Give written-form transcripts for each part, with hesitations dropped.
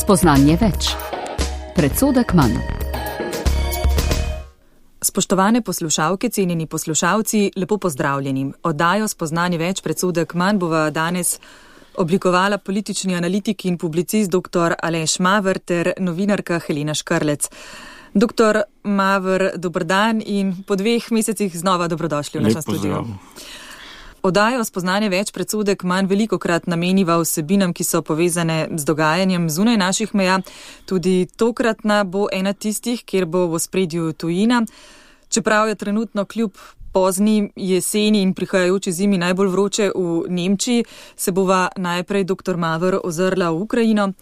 Spoznanje več. Predsodek manj. Spoštovane poslušalke, cenjeni poslušalci, lepo pozdravljeni. Oddajo Spoznanje več, predsodek manj bova danes oblikovala politični analitik in publicist dr. Aleš Maver ter novinarka Helena Škrlec. Dr. Maver, dober dan in po 2 mesecih znova dobrodošli v našem studiu. Oddajo Spoznanje več, predsodek manj velikokrat nameniva vsebinam, ki so povezane z dogajanjem zunaj naših meja. Tudi tokratna bo ena tistih, kjer bo v ospredju tujina. Čeprav je trenutno kljub pozni jeseni in prihajajoči zimi najbolj vroče v Nemčiji, se bova najprej dr. Maver ozrla v Ukrajino.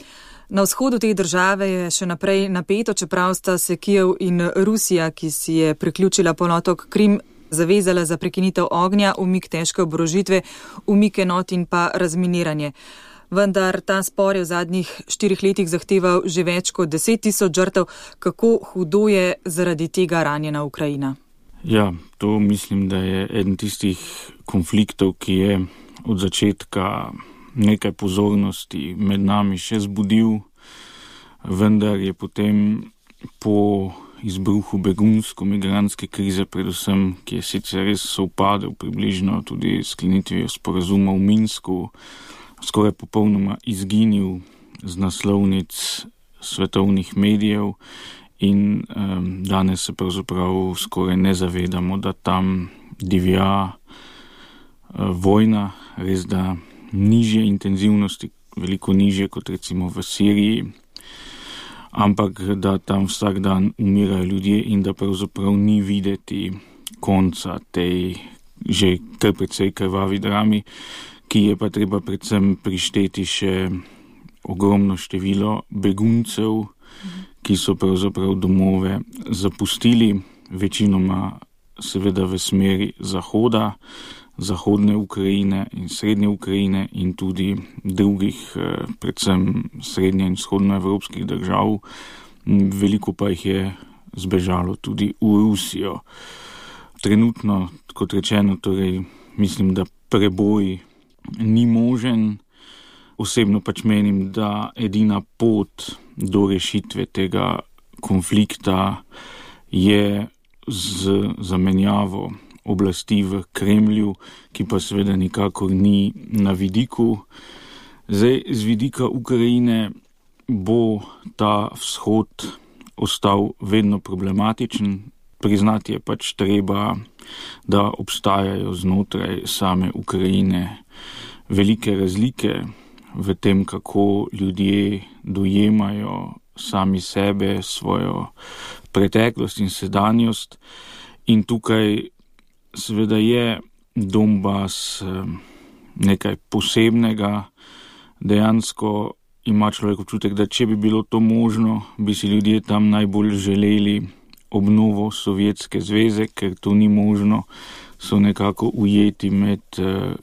Na vzhodu te države je še naprej napeto, čeprav sta se Kijev in Rusija, ki si je priključila polotok Krim, zavezala za prekinitev ognja, umik težke oborožitve, umik enot in pa razminiranje. Vendar ta spor je v zadnjih 4 letih zahteval že več kot 10 000 žrtev. Kako hudo je zaradi tega ranjena Ukrajina? Ja, to mislim, da je eden tistih konfliktov, ki je od začetka nekaj pozornosti med nami še zbudil, vendar je potem po izbruhu begunsko-migrantske krize, predvsem, ki je sicer res sovpadel približno tudi sklenitvijo sporazuma v Minsku, skoraj popolnoma izginil z naslovnic svetovnih medijev in danes se pravzaprav skoraj ne zavedamo, da tam divja vojna, res da nižje intenzivnosti, veliko nižje kot recimo v Siriji, ampak da tam vsak dan umirajo ljudje in da pravzaprav ni videti konca tej že kar precej krvavi drami, ki je pa treba predvsem prišteti še ogromno število beguncev, ki so pravzaprav domove zapustili, večinoma seveda v smeri zahoda, zahodne Ukrajine in srednje Ukrajine in tudi drugih, predvsem srednje in vzhodnoevropskih držav. Veliko pa jih je zbežalo tudi v Rusijo. Trenutno, kot rečeno, torej mislim, da preboj ni možen. Osebno pač menim, da edina pot do rešitve tega konflikta je z zamenjavo oblasti v Kremlju, ki pa seveda nikakor ni na vidiku. Zdaj, z vidika Ukrajine bo ta vzhod ostal vedno problematičen. Priznati je pač treba, da obstajajo znotraj same Ukrajine velike razlike v tem, kako ljudje dojemajo sami sebe, svojo preteklost in sedanjost. In tukaj seveda je Donbas nekaj posebnega. Dejansko ima človek občutek, da če bi bilo to možno, bi si ljudje tam najbolj želeli obnovo Sovjetske zveze, ker to ni možno, so nekako ujeti med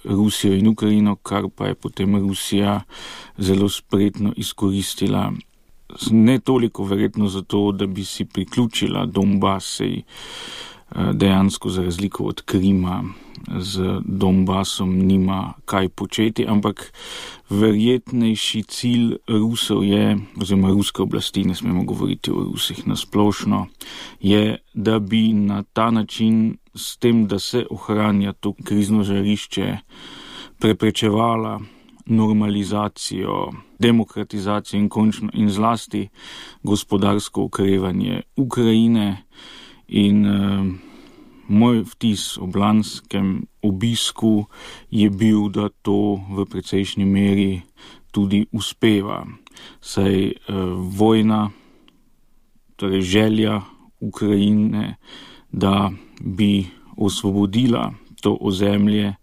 Rusijo in Ukrajino, kar pa je potem Rusija zelo spretno izkoristila. Ne toliko verjetno zato, da bi si priključila Donbas, dejansko za razliko od Krima z Donbasom nima kaj početi, ampak verjetnejši cilj Rusov je, oziroma ruske oblasti, ne smemo govoriti o Rusih nasplošno, je, da bi na ta način s tem, da se ohranja to krizno žarišče, preprečevala normalizacijo, demokratizacijo in končno in zlasti gospodarsko okrevanje Ukrajine. In moj vtis ob lanskem obisku je bil, da to v precejšnji meri tudi uspeva. Saj vojna, torej želja Ukrajine, da bi osvobodila to ozemlje,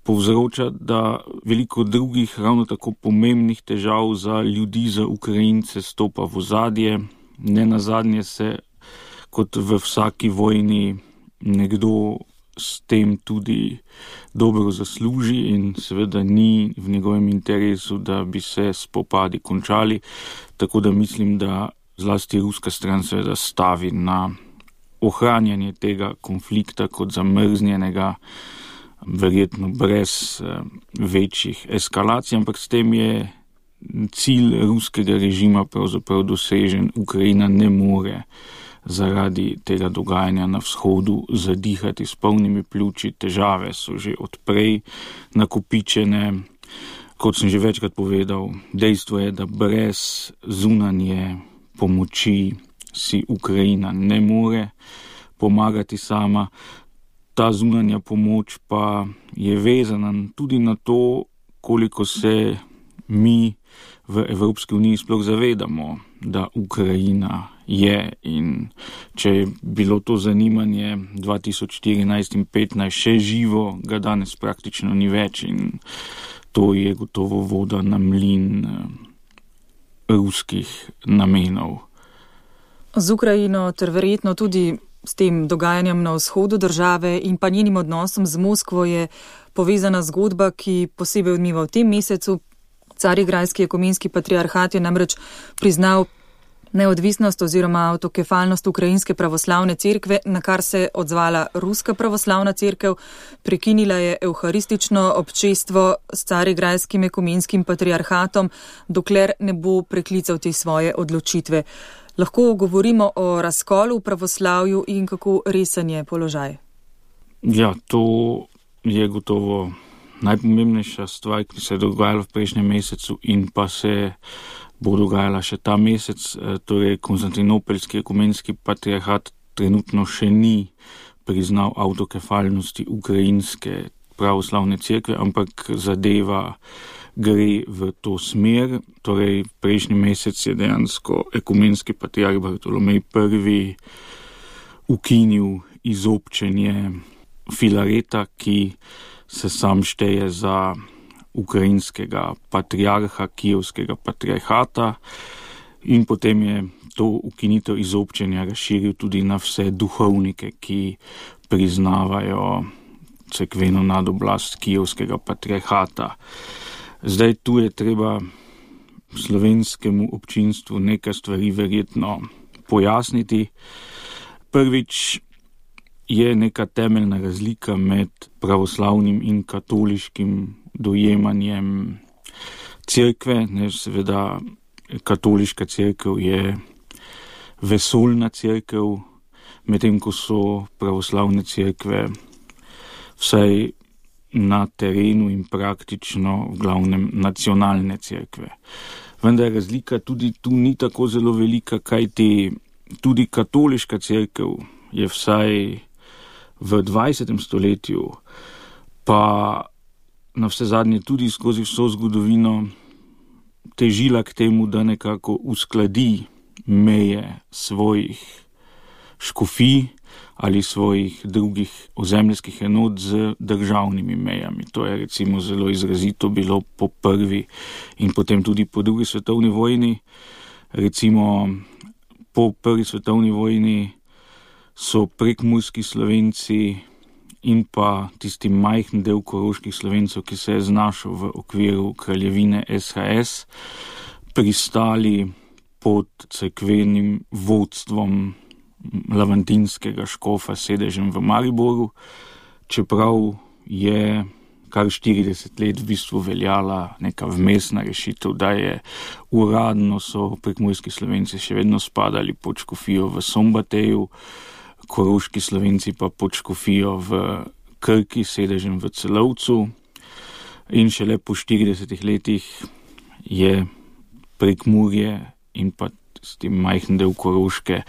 povzroča, da veliko drugih ravno tako pomembnih težav za ljudi, za Ukrajince stopa v ozadje. Nenazadnje se kot v vsaki vojni nekdo s tem tudi dobro zasluži in seveda ni v njegovem interesu, da bi se spopadi končali. Tako da mislim, da zlasti ruska stran seveda stavi na ohranjanje tega konflikta kot zamrznjenega, verjetno brez večjih eskalacij, ampak s tem je cilj ruskega režima pravzaprav dosežen. Ukrajina ne more zaradi tega dogajanja na vzhodu zadihati s polnimi pljuči. Težave so že odprej nakopičene. Kot sem že večkrat povedal, dejstvo je, da brez zunanje pomoči si Ukrajina ne more pomagati sama. Ta zunanja pomoč pa je vezana tudi na to, koliko se mi v Evropski uniji sploh zavedamo, da Ukrajina je, in če je bilo to zanimanje 2014 in 2015 še živo, ga danes praktično ni več, in to je gotovo voda na mlin ruskih namenov. Z Ukrajino ter verjetno tudi s tem dogajanjem na vzhodu države in pa njenim odnosom z Moskvo je povezana zgodba, ki posebej odmiva v tem mesecu. Carigrajski ekumenski patriarhat je namreč priznal neodvisnost oziroma avtokefalnost Ukrajinske pravoslavne cerkve, na kar se je odzvala Ruska pravoslavna cerkev. Prekinila je evharistično občestvo s Carigrajskim ekumenskim patriarhatom, dokler ne bo preklical te svoje odločitve. Lahko govorimo o razkolu v pravoslavju in kako resen je položaj? Ja, to je gotovo najpomembnejša stvar, ki se je dogajala v prejšnjem mesecu in pa se bo dogajala še ta mesec. Torej, Konstantinopeljski ekumenski patriarhat trenutno še ni priznal avtokefalnosti Ukrajinske pravoslavne cerkve, ampak zadeva gre v to smer. Torej, prejšnji mesec je dejansko ekumenski patriarh Bartolomej I ukinil izobčenje Filareta, ki se sam šteje za ukrajinskega patriarha, kijevskega patriarhata, in potem je to ukinitev izobčenja razširil tudi na vse duhovnike, ki priznavajo cerkveno nadoblast kijevskega patriarhata. Zdaj tu je treba slovenskemu občinstvu nekaj stvari verjetno pojasniti. Prvič, je neka temeljna razlika med pravoslavnim in katoliškim dojemanjem cerkve. Seveda, katoliška cerkev je vesoljna cerkev, medtem ko so pravoslavne cerkve vsaj na terenu in praktično v glavnem nacionalne cerkve. Vendar razlika tudi tu ni tako zelo velika, kajti tudi katoliška cerkev je vsaj v 20. stoletju, pa na vse zadnje tudi skozi vso zgodovino, težila k temu, da nekako uskladi meje svojih škofij ali svojih drugih ozemeljskih enot z državnimi mejami. To je recimo zelo izrazito bilo po prvi in potem tudi po drugi svetovni vojni. Recimo po prvi svetovni vojni so prekmurski Slovenci in pa tisti majhen del koroških Slovencev, ki se je znašel v okviru kraljevine SHS, pristali pod cerkvenim vodstvom lavantinskega škofa s sedežem v Mariboru, čeprav je kar 40 let v bistvu veljala neka vmesna rešitev, da je uradno so prekmurski Slovenci še vedno spadali pod škofijo v Sombateju, koroški Slovenci pa pod škofijo v Krki s sedežem v Celovcu, in šele po 40 letih je Prekmurje in pa majhen del Koroške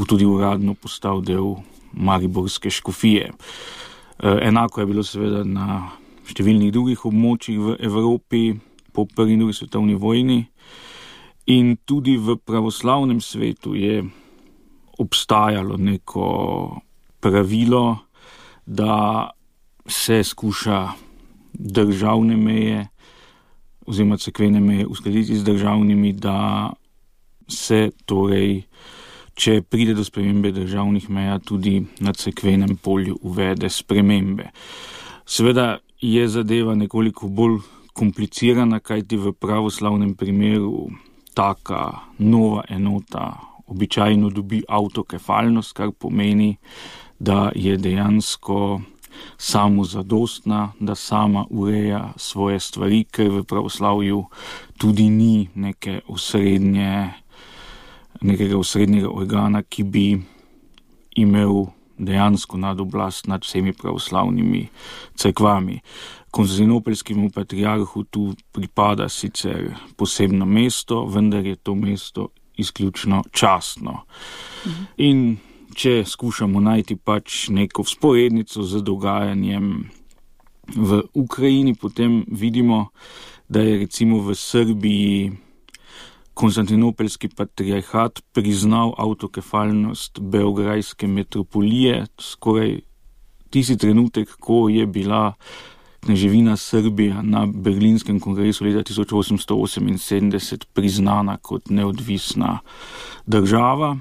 tudi uradno postal del mariborske škofije. Enako je bilo seveda na številnih drugih območjih v Evropi po prvi in drugi svetovni vojni, in tudi v pravoslavnem svetu je obstajalo neko pravilo, da se skuša državne meje oziroma cerkvene meje uskladiti z državnimi, da se torej, če pride do spremembe državnih meja, tudi na cerkvenem polju uvede spremembe. Seveda je zadeva nekoliko bolj komplicirana, kajti v pravoslavnem primeru taka nova enota običajno dobi avtokefalnost, kar pomeni, da je dejansko samozadostna, da sama ureja svoje stvari, ker v pravoslavju tudi ni nekega osrednjega organa, ki bi imel dejansko nadoblast nad vsemi pravoslavnimi cerkvami. Konstantinopelskemu patriarhu tu pripada sicer posebno mesto, vendar je to mesto izključno častno. In če skušamo najti pač neko vzporednico z dogajanjem v Ukrajini, potem vidimo, da je recimo v Srbiji Konstantinopelski patriarhat priznal avtokefalnost beograjske metropolije, skoraj tisti trenutek, ko je bila kneževina Srbija na Berlinskem kongresu leta 1878 priznana kot neodvisna država.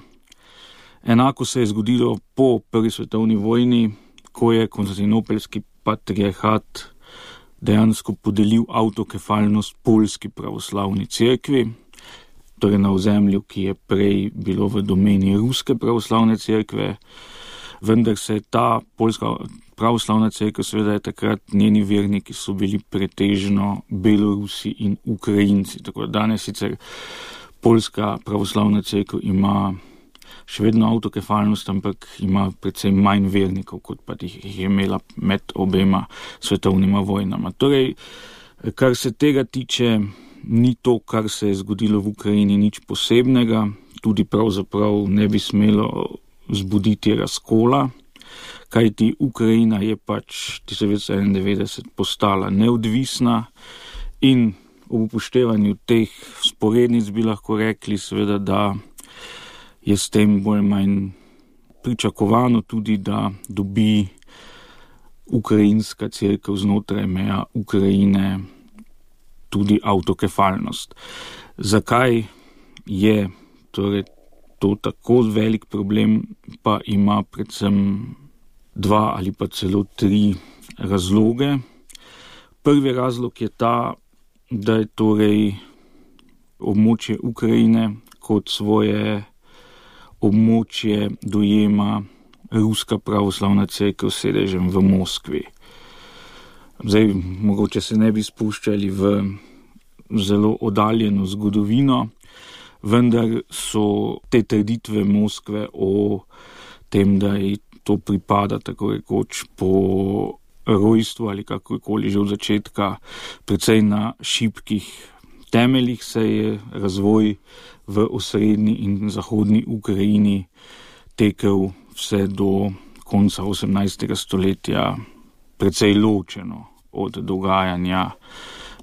Enako se je zgodilo po Prvi svetovni vojni, ko je Konstantinopelski patriarhat dejansko podelil avtokefalnost Poljski pravoslavni cerkvi, torej na ozemlju, ki je prej bilo v domeni Ruske pravoslavne cerkve, vendar se je ta Poljska pravoslavna cerkev, seveda je takrat njeni verniki so bili pretežno Belorusi in Ukrajinci. Tako da danes sicer Poljska pravoslavna cerkev ima še vedno avtokefalnost, ampak ima predvsem manj vernikov, kot pa jih je imela med obema svetovnima vojnama. Torej, kar se tega tiče, ni to, kar se je zgodilo v Ukrajini, nič posebnega, tudi pravzaprav ne bi smelo zbuditi razkola, kajti Ukrajina je pač 1991 postala neodvisna in ob upoštevanju teh vzporednic bi lahko rekli seveda, da je s tem bolj manj pričakovano tudi, da dobi ukrajinska cerkev znotraj meja Ukrajine tudi avtokefalnost. Zakaj je torej to tako velik problem, pa ima predvsem 2 ali pa celo 3 razloge. Prvi razlog je ta, da je torej območje Ukrajine kot svoje območje dojema Ruska pravoslavna cerkev s sedežem v Moskvi. Zdaj, mogoče se ne bi spuščali v zelo oddaljeno zgodovino, vendar so te trditve Moskve o tem, da ji to pripada tako rekoč po rojstvu ali kakorkoli že od začetka, precej na šibkih temeljih, se je razvoj v osrednji in zahodni Ukrajini tekel vse do konca 18. stoletja precej ločeno od dogajanja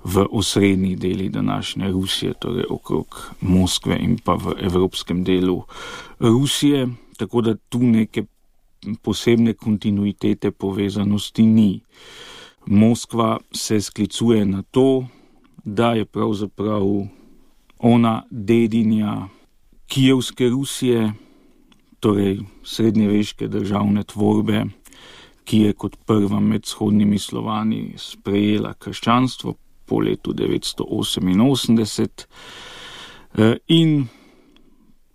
v osrednjih delih današnje Rusije, torej okrog Moskve in pa v evropskem delu Rusije, tako da tu neke posebne kontinuitete povezanosti ni. Moskva se sklicuje na to, da je pravzaprav ona dedinja Kijevske Rusije, torej srednjeveške državne tvorbe, ki je kot prva med vzhodnimi Slovani sprejela krščanstvo po letu 988 in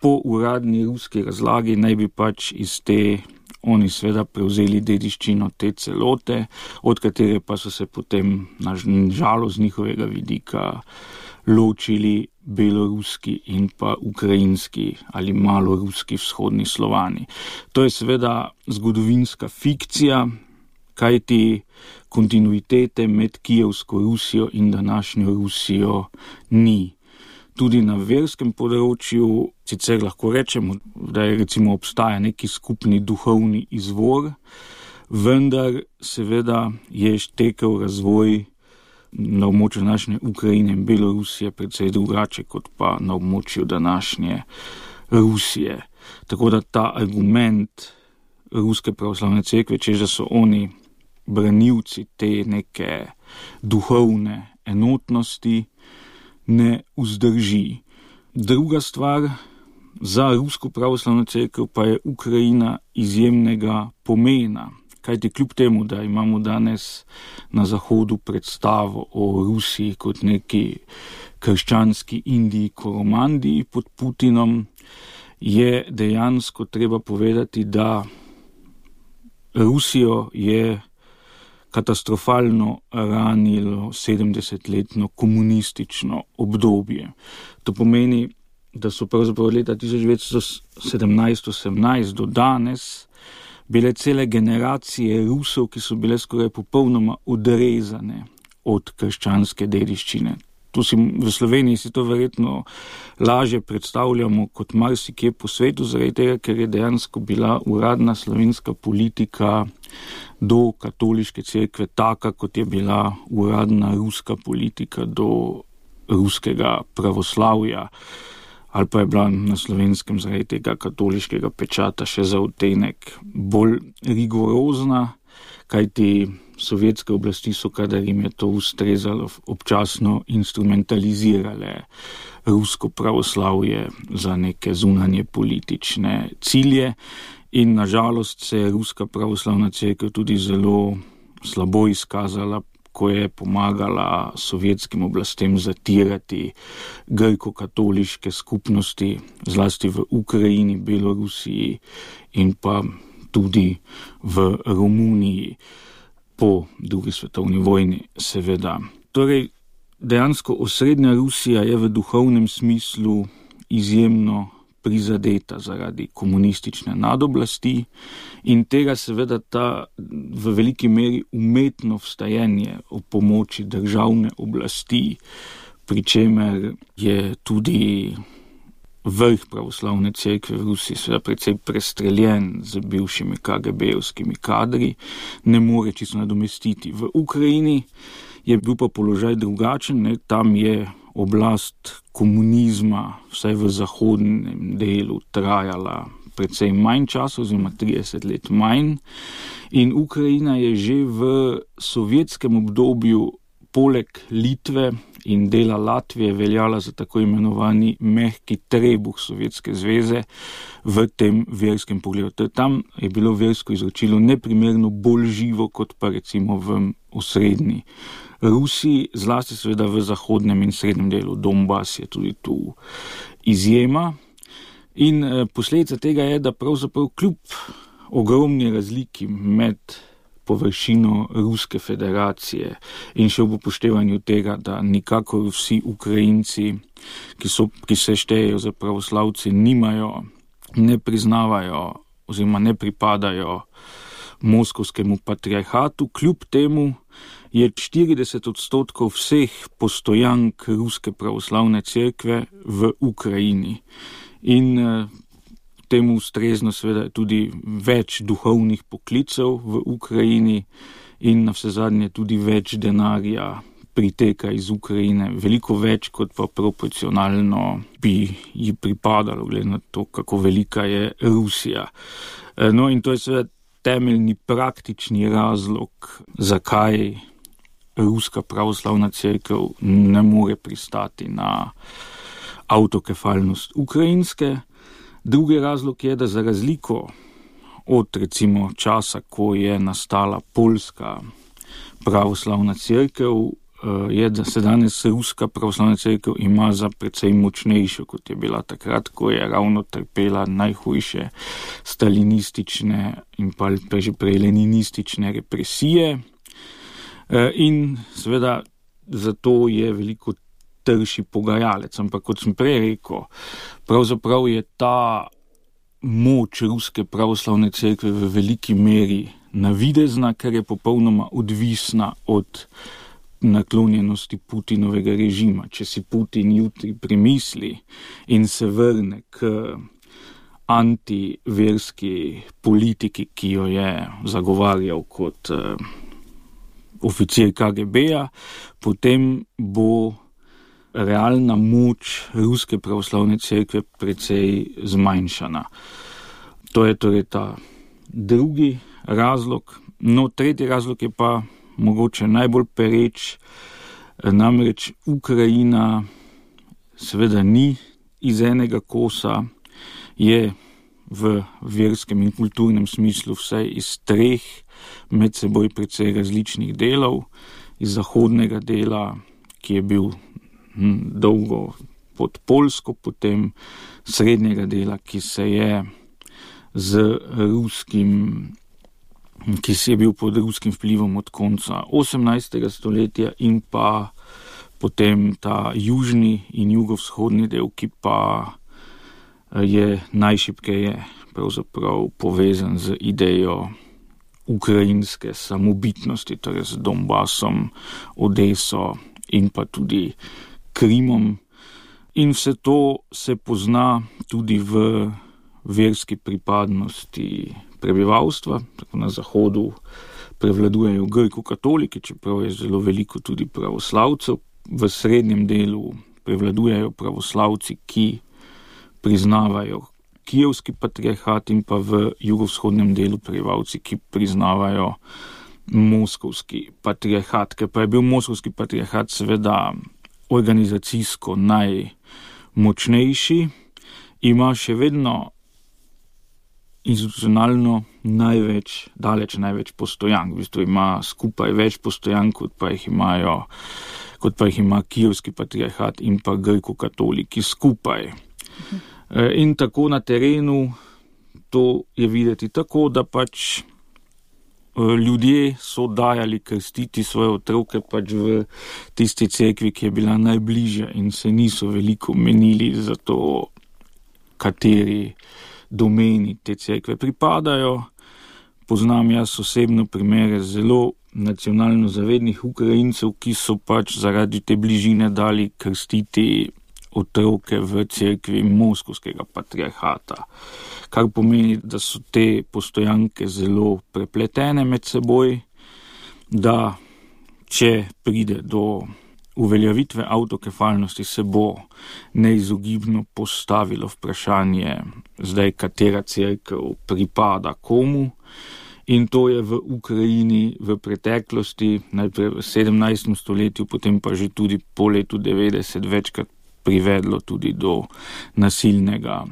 po uradni ruski razlagi naj bi pač iz te oni seveda prevzeli dediščino te celote, od katere pa so se potem na žalost z njihovega vidika ločili beloruski in pa ukrajinski ali maloruski vzhodni Slovani. To je seveda zgodovinska fikcija, kajti kontinuitete med Kijevsko Rusijo in današnjo Rusijo ni. Tudi na verskem področju sicer lahko rečemo, da je recimo obstaja neki skupni duhovni izvor, vendar seveda je tekel razvoj na območju današnje Ukrajine in Belorusije precej drugače kot pa na območju današnje Rusije. Tako da ta argument Ruske pravoslavne cerkve, češ da so oni branilci te neke duhovne enotnosti, ne vzdrži. Druga stvar, za Rusko pravoslavno cerkev pa je Ukrajina izjemnega pomena, kajti kljub temu, da imamo danes na Zahodu predstavo o Rusiji kot neki krščanski Indiji Koromandiji pod Putinom, je dejansko treba povedati, da Rusijo je katastrofalno ranilo 70-letno komunistično obdobje. To pomeni, da so pravzaprav od leta 1917-18 do danes bile cele generacije Rusov, ki so bile skoraj popolnoma odrezane od krščanske dediščine. V Sloveniji si to verjetno lažje predstavljamo kot marsikje po svetu, zaradi tega, ker je dejansko bila uradna slovenska politika do katoliške cerkve taka, kot je bila uradna ruska politika do ruskega pravoslavja, ali pa je bila na Slovenskem zaradi tega katoliškega pečata še za odtenek bolj rigorozna, kajti sovjetske oblasti so, kadar jim je to ustrezalo, občasno instrumentalizirale rusko pravoslavje za neke zunanje politične cilje in nažalost se je ruska pravoslavna cerkev tudi zelo slabo izkazala, ko je pomagala sovjetskim oblastem zatirati grko-katoliške skupnosti, zlasti v Ukrajini, Belorusiji in pa tudi v Romuniji po drugi svetovni vojni, seveda. Torej, dejansko osrednja Rusija je v duhovnem smislu izjemno prizadeta zaradi komunistične nadoblasti in tega seveda ta v veliki meri umetno vstajenje o pomoči državne oblasti, pri čemer je tudi vrh pravoslavne cerkve v Rusiji seveda precej prestreljen z bivšimi KGB-ovskimi kadri, ne more čisto nadomestiti. V Ukrajini je bil pa položaj drugačen, tam je oblast komunizma, vsaj v zahodnem delu, trajala precej manj časa, oziroma 30 let manj. In Ukrajina je že v sovjetskem obdobju poleg Litve in dela Latvije veljala za tako imenovani mehki trebuh Sovjetske zveze v tem verskem pogledu. Tam je bilo versko izročilo neprimerno bolj živo kot pa recimo v osrednji Rusiji, zlasti seveda v zahodnem in srednjem delu. Donbas je tudi tu izjema. In posledica tega je, da pravzaprav kljub ogromni razliki med površino Ruske federacije in še ob upoštevanju tega, da nikakor vsi Ukrajinci, ki se štejejo za pravoslavci, ne priznavajo oziroma ne pripadajo moskovskemu patriarhatu, kljub temu je 40% vseh postojank Ruske pravoslavne cerkve v Ukrajini. In temu ustrezno seveda tudi več duhovnih poklicev v Ukrajini in navsezadnje tudi več denarja priteka iz Ukrajine, veliko več kot pa proporcionalno bi ji pripadalo, glede na to, kako velika je Rusija. No in to je seveda temeljni praktični razlog, zakaj Ruska pravoslavna cerkev ne more pristati na avtokefalnost ukrajinske. Drugi razlog je, da za razliko od recimo časa, ko je nastala poljska pravoslavna cerkev, je, da se danes Ruska pravoslavna cerkev ima za precej močnejšo, kot je bila takrat, ko je ravno trpela najhujše stalinistične in pa že prej leninistične represije. In seveda zato je veliko trši pogajalec, ampak kot sem prej rekel, pravzaprav je ta moč Ruske pravoslavne cerkve v veliki meri navidezna, ker je popolnoma odvisna od naklonjenosti Putinovega režima. Če si Putin jutri premisli in se vrne k antiverski politiki, ki jo je zagovarjal kot oficir KGB-ja, potem bo realna moč Ruske pravoslavne cerkve precej zmanjšana. To je torej ta drugi razlog. No, tretji razlog je pa mogoče najbolj pereč, namreč Ukrajina seveda ni iz enega kosa, je v verskem in kulturnem smislu vsaj iz treh med seboj precej različnih delov, iz zahodnega dela, ki je bil dolgo pod Poljsko, potem srednjega dela, ki se je z ruskim ki si je bil pod ruskim vplivom od konca 18. stoletja in pa potem ta južni in jugovzhodni del, ki pa je najšibkeje pravzaprav povezan z idejo ukrajinske samobitnosti, torej z Donbasom, Odeso in pa tudi Krimom. In vse to se pozna tudi v verski pripadnosti prebivalstva. Tako na zahodu prevladujejo grko-katoliki, čeprav je zelo veliko tudi pravoslavcev. V srednjem delu prevladujejo pravoslavci, ki priznavajo kijevski patriarhat, in pa v jugovzhodnem delu prebivalci, ki priznavajo moskovski patriarhat. Ker pa je bil moskovski patriarhat seveda organizacijsko najmočnejši, ima še vedno institucionalno daleč največ postojank. V bistvu ima skupaj več postojank, kot pa jih ima kijevski patriarhat in pa grko-katoliki skupaj. In tako na terenu to je videti tako, da pač ljudje so dajali krstiti svoje otroke pač v tisti cerkvi, ki je bila najbližja, in se niso veliko menili za to, kateri domeni te cerkve pripadajo. Poznam jaz osebno primere zelo nacionalno zavednih Ukrajincev, ki so pač zaradi te bližine dali krstiti otroke v cerkvi moskovskega patriarhata, kar pomeni, da so te postojanke zelo prepletene med seboj, da če pride do uveljavitve avtokefalnosti, se bo neizogibno postavilo vprašanje, zdaj katera cerkev pripada komu. In to je v Ukrajini v preteklosti, najprej v 17. stoletju, potem pa že tudi po letu 90 večkrat privedlo tudi do nasilnega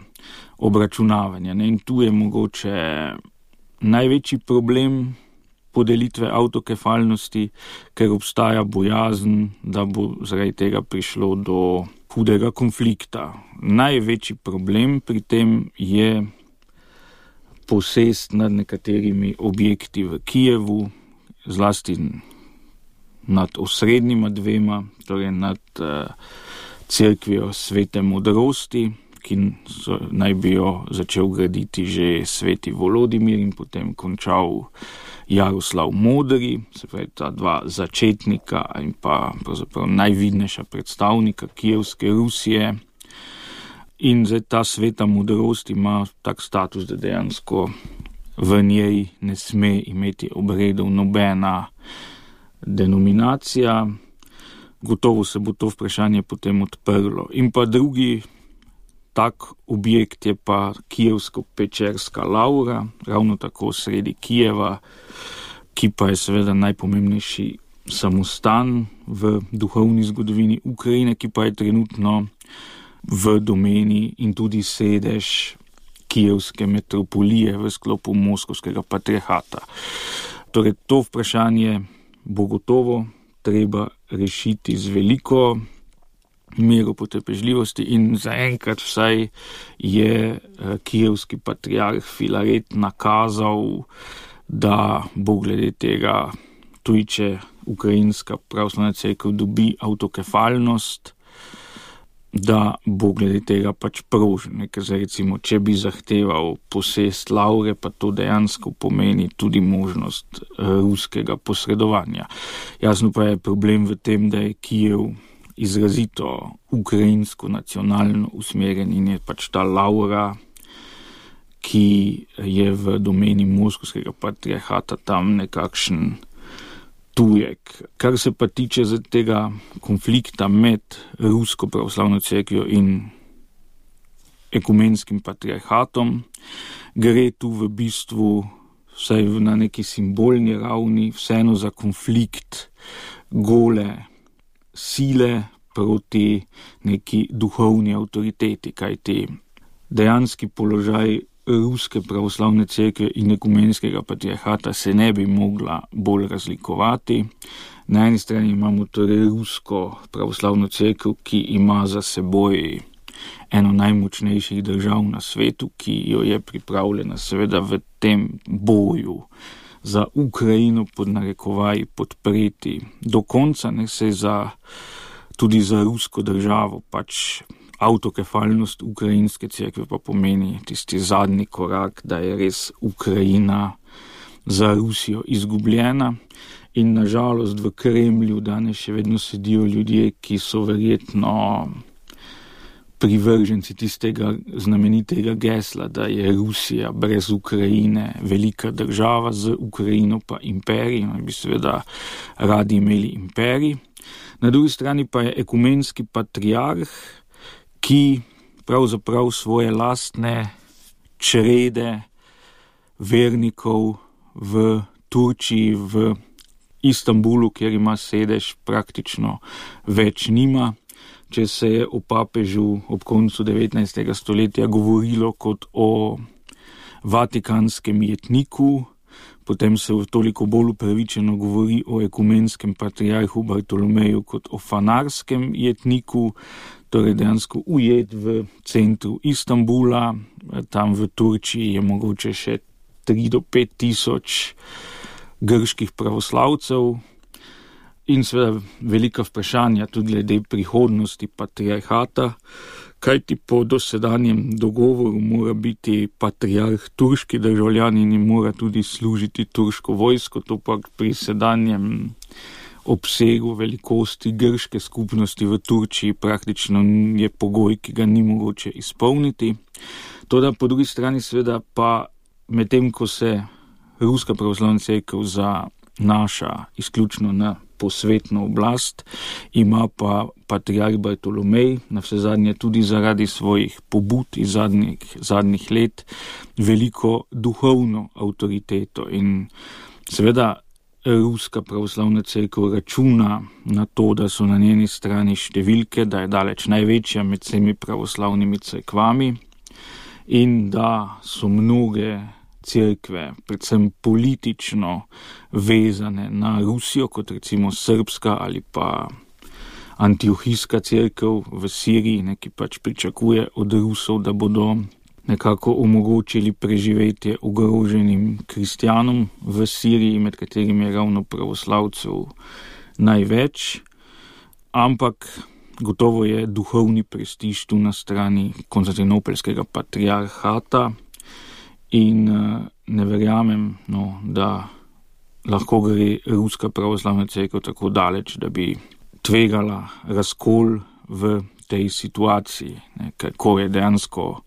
obračunavanja. In tu je mogoče največji problem podelitve avtokefalnosti, ker obstaja bojazen, da bo zaradi tega prišlo do hudega konflikta. Največji problem pri tem je posest nad nekaterimi objekti v Kijevu, zlasti nad osrednjima dvema, torej nad cerkvijo Svete modrosti, ki naj bi jo začel graditi že sveti Volodimir in potem končal Jaroslav Modri, se pravi ta dva začetnika in pa pravzaprav najvidnejša predstavnika kijevske Rusije. In zdaj ta Sveta modrost ima tak status, da dejansko v njej ne sme imeti obredov nobena denominacija. Gotovo se bo to vprašanje potem odprlo. In pa drugi tak objekt je pa kijevsko-pečerska lavra, ravno tako sredi Kijeva, ki pa je seveda najpomembnejši samostan v duhovni zgodovini Ukrajine, ki pa je trenutno v domeni in tudi sedež kijevske metropolije v sklopu moskovskega patriarhata. Torej, to vprašanje bo gotovo treba rešiti z veliko mero potrpežljivosti in zaenkrat vsaj je kijevski patriarh Filaret nakazal, da bo glede tega, tudi če ukrajinska pravoslavna cerkev dobi avtokefalnost, da bo glede tega pač prožen. Ker zdaj recimo, če bi zahteval posest lavre, pa to dejansko pomeni tudi možnost ruskega posredovanja. Jasno pa je problem v tem, da je Kijev izrazito ukrajinsko nacionalno usmerjen in je pač ta lavra, ki je v domeni moskovskega patriarhata tam nekakšen tujek. Kar se pa tiče tega konflikta med rusko pravoslavno cerkvijo in ekumenskim patriarhatom, gre tu v bistvu vsaj na neki simbolni ravni vseeno za konflikt gole sile proti neki duhovni avtoriteti, kajti dejanski položaj ruske pravoslavne cerkve in ekumenskega patriarhata se ne bi mogla bolj razlikovati. Na eni strani imamo torej rusko pravoslavno cerkev, ki ima za seboj eno najmočnejših držav na svetu, ki jo je pripravljena seveda v tem boju za Ukrajino pod narekovaji podpreti do konca, ne se tudi za rusko državo, pač avtokefalnost ukrajinske cerkve pa pomeni tisti zadnji korak, da je res Ukrajina za Rusijo izgubljena. In nažalost v Kremlju danes še vedno sedijo ljudje, ki so verjetno privrženci tistega znamenitega gesla, da je Rusija brez Ukrajine velika država, z Ukrajino pa imperij, bi seveda radi imeli imperij. Na drugi strani pa je ekumenski patriarh, ki pravzaprav svoje lastne črede vernikov v Turčiji, v Istanbulu, kjer ima sedež, praktično več nima. Če se je o papežu ob koncu 19. stoletja govorilo kot o vatikanskem jetniku, potem se toliko bolj upravičeno govori o ekumenskem patriarhu Bartolomeju kot o fanarskem jetniku, torej dejansko ujet v centru Istanbula. Tam v Turčiji je mogoče še 3 do 5 tisoč grških pravoslavcev in seveda velika vprašanja tudi glede prihodnosti patriarhata, kajti po dosedanjem dogovoru mora biti patriarh turški državljan in mora tudi služiti turško vojsko, to pa pri sedanjem obsegu velikosti grške skupnosti v Turčiji praktično je pogoj, ki ga ni mogoče izpolniti. Toda po drugi strani seveda pa medtem, ko se Ruska pravoslavna cerkev zanaša izključno na posvetno oblast, ima pa patriarh Bartolomej navsezadnje tudi zaradi svojih pobud iz zadnjih let veliko duhovno avtoriteto in seveda Ruska pravoslavna cerkev računa na to, da so na njeni strani številke, da je daleč največja med vsemi pravoslavnimi cerkvami in da so mnoge cerkve, predvsem politično vezane na Rusijo, kot recimo srbska ali pa antiohijska cerkev v Siriji, ki pač pričakuje od Rusov, da bodo nekako omogočili preživetje ogroženim kristjanom v Siriji, med katerimi je ravno pravoslavcev največ, ampak gotovo je duhovni prestiž tu na strani konstantinopelskega patriarhata in ne verjamem, da lahko gre Ruska pravoslavna cerkev tako daleč, da bi tvegala razkol v tej situaciji, kako je dejansko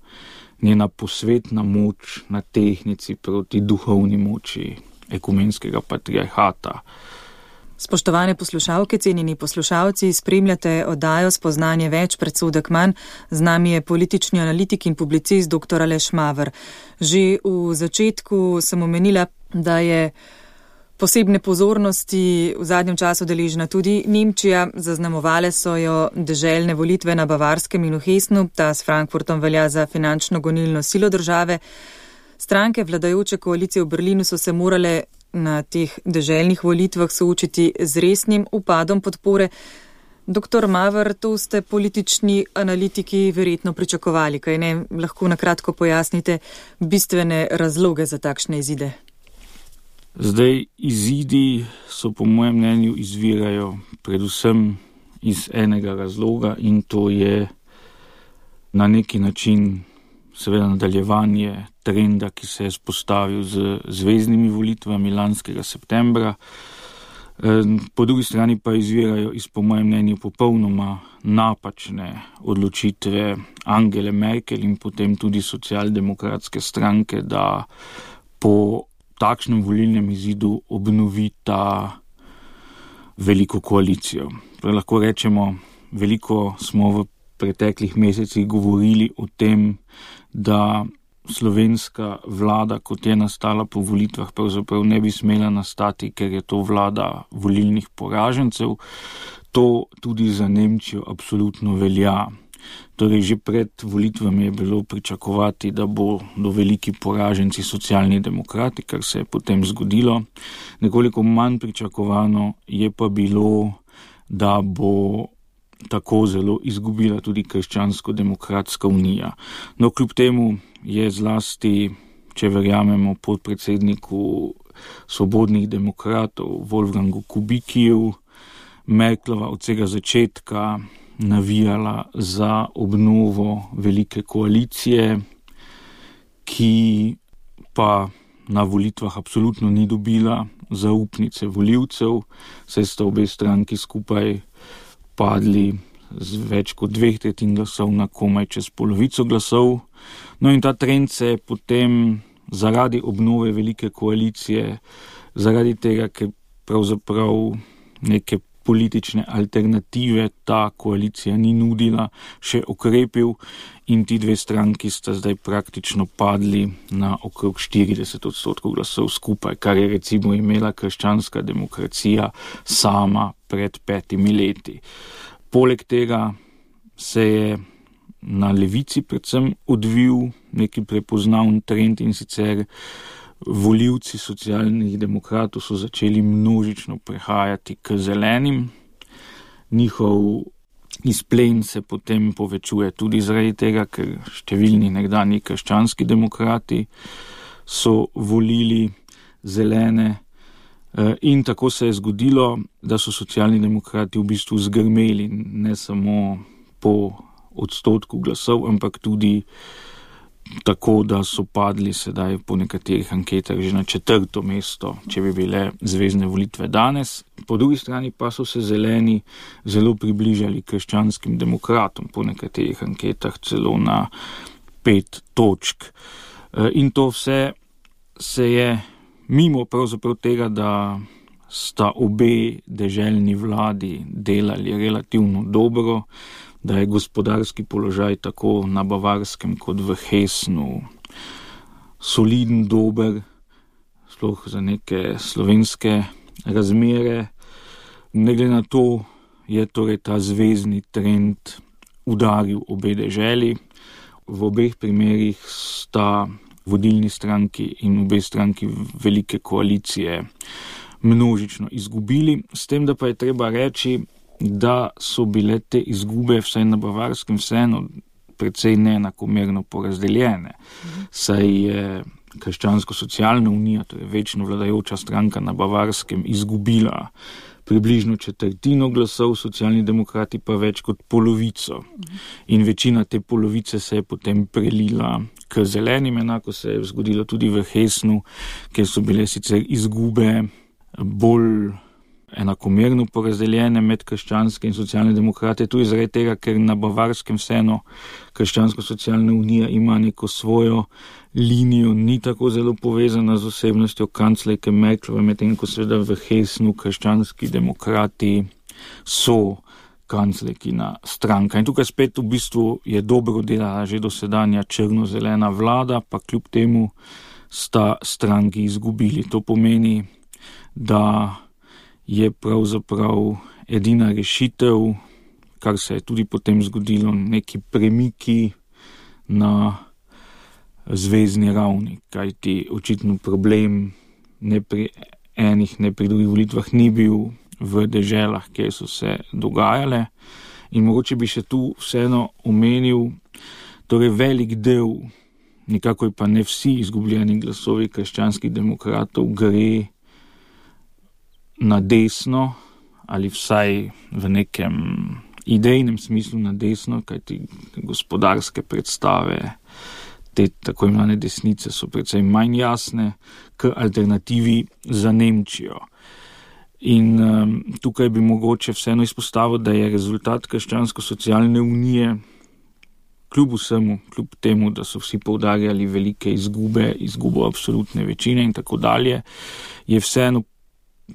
njena posvetna moč na tehnici proti duhovni moči ekumenskega patriarhata. Spoštovane poslušalke, cenjeni poslušalci, spremljate oddajo Spoznanje več, predsodek manj. Z nami je politični analitik in publicist dr. Aleš Maver. Že v začetku sem omenila, da je posebne pozornosti v zadnjem času deležna tudi Nemčija. Zaznamovale so jo deželne volitve na Bavarskem in v Hessnu. Ta s Frankfurtom velja za finančno gonilno silo države. Stranke vladajoče koalicije v Berlinu so se morale na teh deželnih volitvah soočiti z resnim upadom podpore. Dr. Maver, to ste politični analitiki verjetno pričakovali, kaj ne? Lahko na kratko pojasnite bistvene razloge za takšne izide. Zdaj, izidi so po mojem mnenju izvirajo predvsem iz enega razloga in to je na neki način seveda nadaljevanje trenda, ki se je spostavil z zveznimi volitvami lanskega septembra. Po drugi strani pa izvirajo iz, po mojem mnenju, popolnoma napačne odločitve Angele Merkel in potem tudi socialdemokratske stranke, da po takšnem volilnem izidu obnovita veliko koalicijo. Lahko rečemo, veliko smo v preteklih mesecih govorili o tem, da slovenska vlada, kot je nastala po volitvah, pravzaprav ne bi smela nastati, ker je to vlada volilnih poražencev. To tudi za Nemčijo absolutno velja. Torej, že pred volitvami je bilo pričakovati, da bodo veliki poraženci socialni demokrati, kar se je potem zgodilo. Nekoliko manj pričakovano je pa bilo, da bo tako zelo izgubila tudi Krščansko-demokratska unija. No, kljub temu je zlasti če verjamemo podpredsedniku Svobodnih demokratov Wolfgangu Kubickiu, Merklova od vsega začetka navijala za obnovo velike koalicije, ki pa na volitvah absolutno ni dobila zaupnice volivcev, saj sta obe stranki skupaj padli z več kot 2/3 glasov na komaj čez polovico glasov. No in ta trend se je potem zaradi obnove velike koalicije, zaradi tega, ker pravzaprav neke politične alternative ta koalicija ni nudila, še okrepil in ti dve stranki sta zdaj praktično padli na okrog 40% glasov skupaj, kar je recimo imela krščanska demokracija sama pred 5 leti. Poleg tega se je na levici predvsem odvil neki prepoznaven trend in sicer volivci Socialnih demokratov so začeli množično prehajati k zelenim. Njihov izplen se potem povečuje tudi zaradi tega, ker številni nekdanji krščanski demokrati so volili zelene. In tako se je zgodilo, da so Socialni demokrati v bistvu zgrmeli ne samo po odstotku glasov, ampak tudi tako, da so padli sedaj po nekaterih anketah že na 4. mesto, če bi bile zvezne volitve danes. Po drugi strani pa so se zeleni zelo približali krščanskim demokratom, po nekaterih anketah celo na 5 točk. In to vse se je mimo pravzaprav tega, da sta obe deželni vladi delali relativno dobro, da je gospodarski položaj tako na Bavarskem kot v Hessnu soliden, dober, sploh za neke slovenske razmere. Ne glede na to je torej ta zvezni trend udaril obe deželi. V obeh primerih sta vodilni stranki in obe stranki velike koalicije množično izgubili, s tem, da pa je treba reči, da so bile te izgube vsaj na Bavarskem vseeno precej neenakomerno porazdeljene. Saj je Krščansko-socialna unija, torej večno vladajoča stranka na Bavarskem, izgubila približno 1/4 glasov, Socialni demokrati pa več kot polovico. In večina te polovice se je potem prelila k zelenim, enako se je zgodilo tudi v Hessnu, kjer so bile sicer izgube bolj enakomerno porazdeljene med krščanske in socialne demokrate, tudi zaradi tega, ker na Bavarskem vseeno Krščansko-socialna unija ima neko svojo linijo, ni tako zelo povezana z osebnostjo kanclerke Merklove, medtem ko seveda v Hessnu krščanski demokrati so kanclerkina stranka. In tukaj spet v bistvu je dobro delala že dosedanja črno-zelena vlada, pa kljub temu sta stranki izgubili. To pomeni, da je pravzaprav edina rešitev, kar se je tudi potem zgodilo, neki premiki na zvezni ravni, kajti očitno problem ne pri enih, ne pri drugih volitvah ni bil v deželah, kjer so se dogajale. In mogoče bi še tu vseeno omenil, torej velik del, nikakor pa ne vsi izgubljeni glasovi krščanskih demokratov gre na desno, ali vsaj v nekem idejnem smislu na desno, kajti gospodarske predstave te tako imenovane desnice so precej manj jasne, k alternativi za Nemčijo. In tukaj bi mogoče vseeno izpostavil, da je rezultat Krščansko-socialne unije kljub vsemu, kljub temu, da so vsi poudarjali velike izgubo absolutne večine in tako dalje, je vseeno,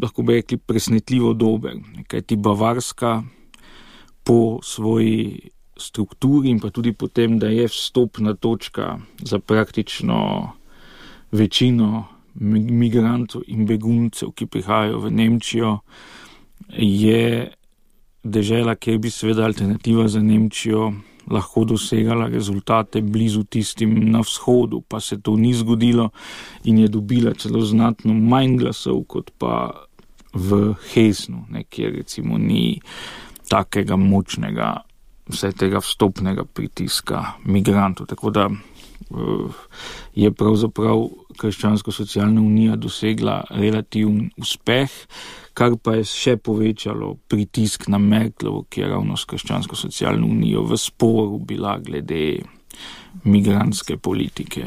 lahko bi rekli, presnetljivo dober. Kajti Bavarska po svoji strukturi in pa tudi potem, da je vstopna točka za praktično večino migrantov in beguncev, ki prihajajo v Nemčijo, je dežela, kjer bi seveda alternativa za Nemčijo lahko dosegala rezultate blizu tistim na vzhodu, pa se to ni zgodilo in je dobila celo znatno manj glasov kot pa v Hessnu, kjer recimo ni takega močnega vse tega vstopnega pritiska migrantov. Tako da je pravzaprav Krščansko-socialna unija dosegla relativen uspeh, kar pa je še povečalo pritisk na Merklovo, ki je ravno s Krščansko-socialno unijo v sporu bila glede migrantske politike.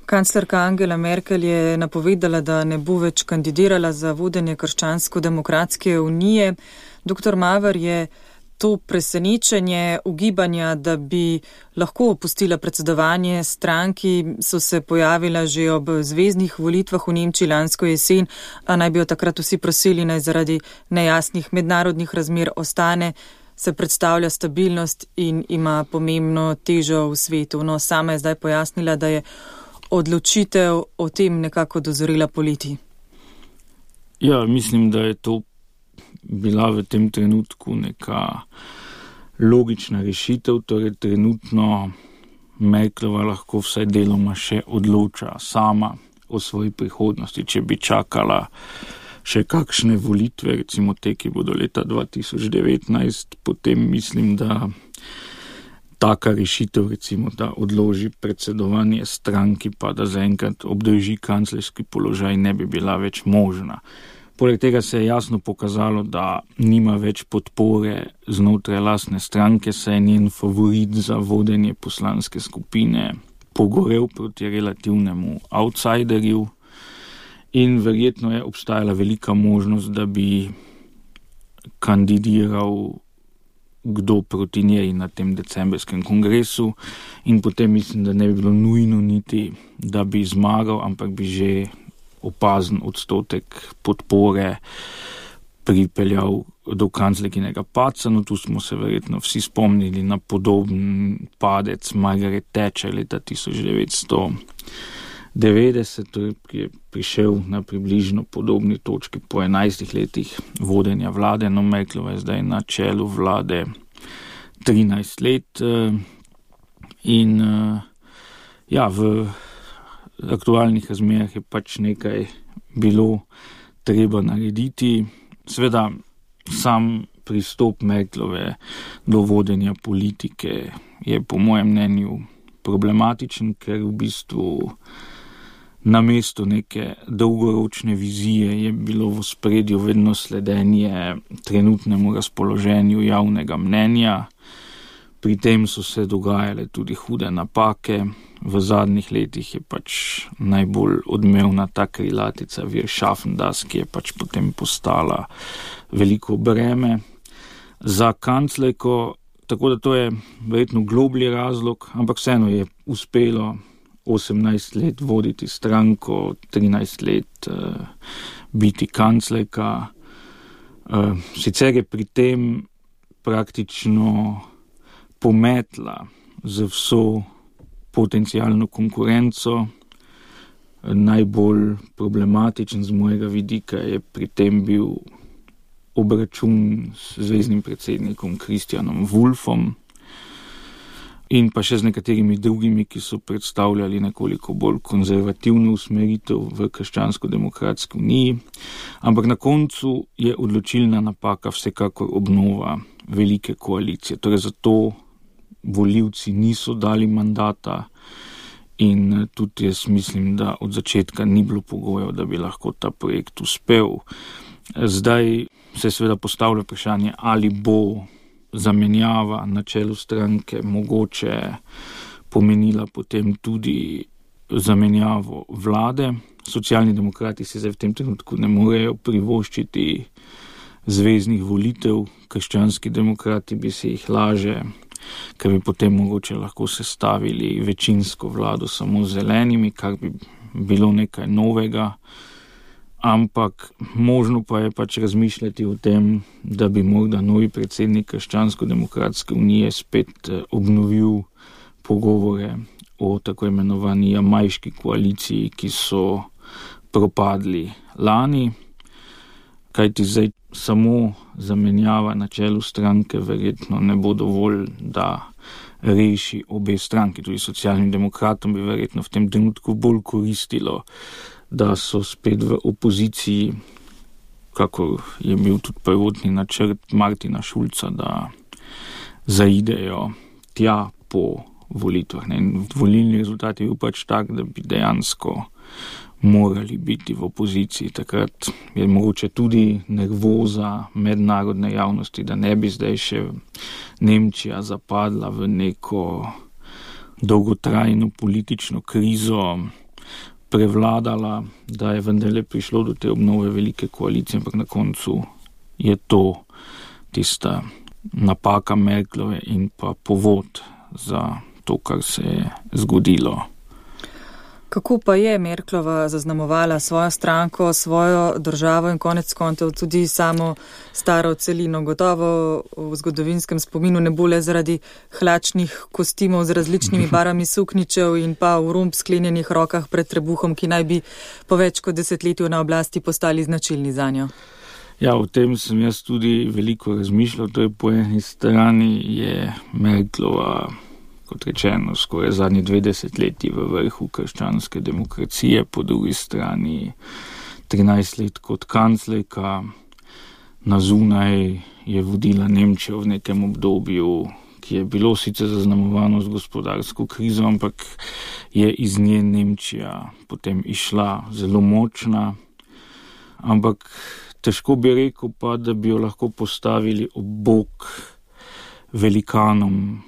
Kanclerka Angela Merkel je napovedala, da ne bo več kandidirala za vodenje Krščansko-demokratske unije. Dr. Maver, je to presenečenje ugibanja, da bi lahko opustila predsedovanje stranki, so se pojavila že ob zvezdnih volitvah v Nemčiji lansko jesen, a naj bi jo takrat vsi prosili, naj zaradi nejasnih mednarodnih razmer ostane, se predstavlja stabilnost in ima pomembno težo v svetu. No, sama je zdaj pojasnila, da je odločitev o tem nekako dozorila poleti. Ja, mislim, da je to bila v tem trenutku neka logična rešitev, torej trenutno Merklova lahko vsaj deloma še odloča sama o svoji prihodnosti. Če bi čakala še kakšne volitve, recimo te, ki bodo leta 2019, potem mislim, da taka rešitev, recimo, da odloži predsedovanje stranki, pa da zaenkrat obdrži kanclerski položaj, ne bi bila več možna. Poleg tega se je jasno pokazalo, da nima več podpore znotraj lastne stranke, saj je njen favorit za vodenje poslanske skupine pogorel proti relativnemu outsiderju in verjetno je obstajala velika možnost, da bi kandidiral kdo proti njej na tem decembrskem kongresu in potem mislim, da ne bi bilo nujno niti, da bi zmagal, ampak bi že opazen odstotek podpore pripeljal do kanclerkinega padca. No, tu smo se verjetno vsi spomnili na podoben padec Margaret Thatcher leta 1990, ki je prišel na približno podobni točki po 11 letih vodenja vlade. No, Merklova je zdaj na čelu vlade 13 let in v aktualnih razmerah je pač nekaj bilo treba narediti. Sveda sam pristop Merklove do vodenja politike je po mojem mnenju problematičen, ker v bistvu namesto neke dolgoročne vizije je bilo v ospredju vedno sledenje trenutnemu razpoloženju javnega mnenja. Pri tem so se dogajale tudi hude napake. V zadnjih letih je pač najbolj odmevna ta krilatica Wir schaffen das, ki je pač potem postala veliko breme za kanclerko. Tako da to je verjetno globlji razlog, ampak vseeno je uspelo 18 let voditi stranko, 13 let biti kanclerka. Sicer je pri tem praktično pometla z vso potencialno konkurenco. Najbolj problematičen z mojega vidika je pri tem bil obračun s zvezdnim predsednikom Christianom Wulffom in pa še z nekaterimi drugimi, ki so predstavljali nekoliko bolj konzervativno usmeritev v Krščansko-demokratski uniji. Ampak na koncu je odločilna napaka vsekakor obnova velike koalicije. Torej zato volivci niso dali mandata in tudi jaz mislim, da od začetka ni bilo pogojev, da bi lahko ta projekt uspel. Zdaj se seveda postavlja vprašanje, ali bo zamenjava na čelu stranke mogoče pomenila potem tudi zamenjavo vlade. Socialni demokrati si zdaj v tem trenutku ne morejo privoščiti zveznih volitev, krščanski demokrati bi si jih laže, ker bi potem mogoče lahko sestavili večinsko vlado samo z zelenimi, kar bi bilo nekaj novega. Ampak možno pa je pač razmišljati o tem, da bi morda novi predsednik Krščansko-demokratske unije spet obnovil pogovore o tako imenovani jamajški koaliciji, ki so propadli lani, kajti zdaj samo zamenjava na čelu stranke verjetno ne bo dovolj, da reši obe stranki. Tudi socialnim demokratom bi verjetno v tem trenutku bolj koristilo, da so spet v opoziciji, kakor je bil tudi prvotni načrt Martina Schulza, da zaidejo tja po volitvah. In volilni rezultat je bil pač tak, da bi dejansko morali biti v opoziciji. Takrat je mogoče tudi nervoza mednarodne javnosti, da ne bi zdaj še Nemčija zapadla v neko dolgotrajno politično krizo, prevladala, da je vendarle prišlo do te obnove velike koalicije, ampak na koncu je to tista napaka Merklove in pa povod za to, kar se je zgodilo. Kako pa je Merklova zaznamovala svojo stranko, svojo državo in konec koncev tudi samo staro celino? Gotovo v zgodovinskem spominu ne bo le zaradi hlačnih kostimov z različnimi barvami sukničev in pa v rumb sklenjenih rokah pred trebuhom, ki naj bi po več kot desetletju na oblasti postali značilni zanjo. Ja, o tem sem jaz tudi veliko razmišljal. To je po eni strani je Merklova, kot rečeno, skoraj zadnji 20 leti v vrhu krščanske demokracije, po drugi strani 13 let kot kanclerka, na zunaj je vodila Nemčijo v nekem obdobju, ki je bilo sicer zaznamovano z gospodarsko krizo, ampak je iz nje Nemčija potem išla zelo močna, ampak težko bi rekel pa, da bi jo lahko postavili ob bok velikanom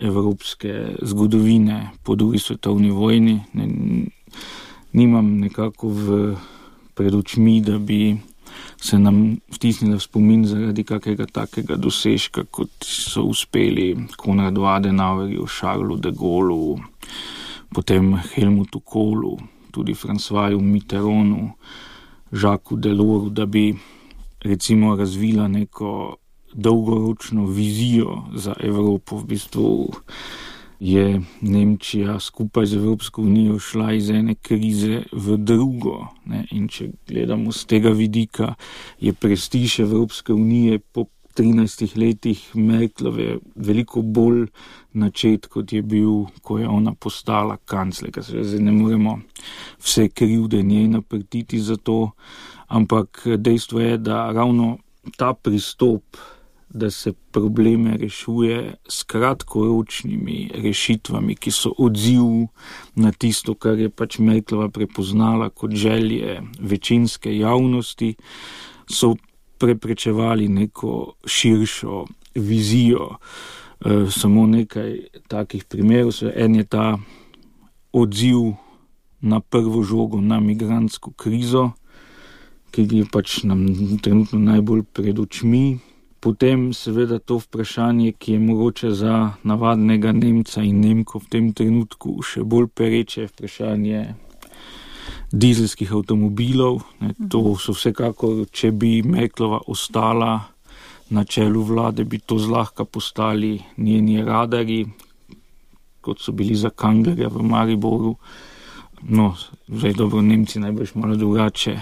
evropske zgodovine po drugi svetovni vojni. Nimam nekako pred očmi, da bi se nam vtisnila v spomin zaradi kakega takega dosežka, kot so uspeli Konradu Adenauerju, Charlesu de Gaullu, potem Helmutu Kohlu, tudi Françoisu Mitterrandu, Jacques Delorsu, da bi recimo razvila neko dolgoročno vizijo za Evropo. V bistvu je Nemčija skupaj z Evropsko unijo šla iz ene krize v drugo. In če gledamo z tega vidika, je prestiž Evropske unije po 13 letih Merklove veliko bolj načet, kot je bil, ko je ona postala kanclerka. Zdaj ne moremo vse krivde njej naprtiti za to, ampak dejstvo je, da ravno ta pristop, da se probleme rešuje s kratkoročnimi rešitvami, ki so odziv na tisto, kar je pač Merklova prepoznala kot želje večinske javnosti, so preprečevali neko širšo vizijo. Samo nekaj takih primerov. En je ta odziv na prvo žogo, na migrantsko krizo, ki je pač nam trenutno najbolj pred očmi. Potem seveda to vprašanje, ki je mogoče za navadnega Nemca in Nemko v tem trenutku še bolj pereče, vprašanje dizelskih avtomobilov. To so vsekakor, če bi Merklova ostala na čelu vlade, bi to zlahka postali njeni radarji, kot so bili za Kanglerja v Mariboru. No, zdaj dobro, Nemci najbrž malo drugače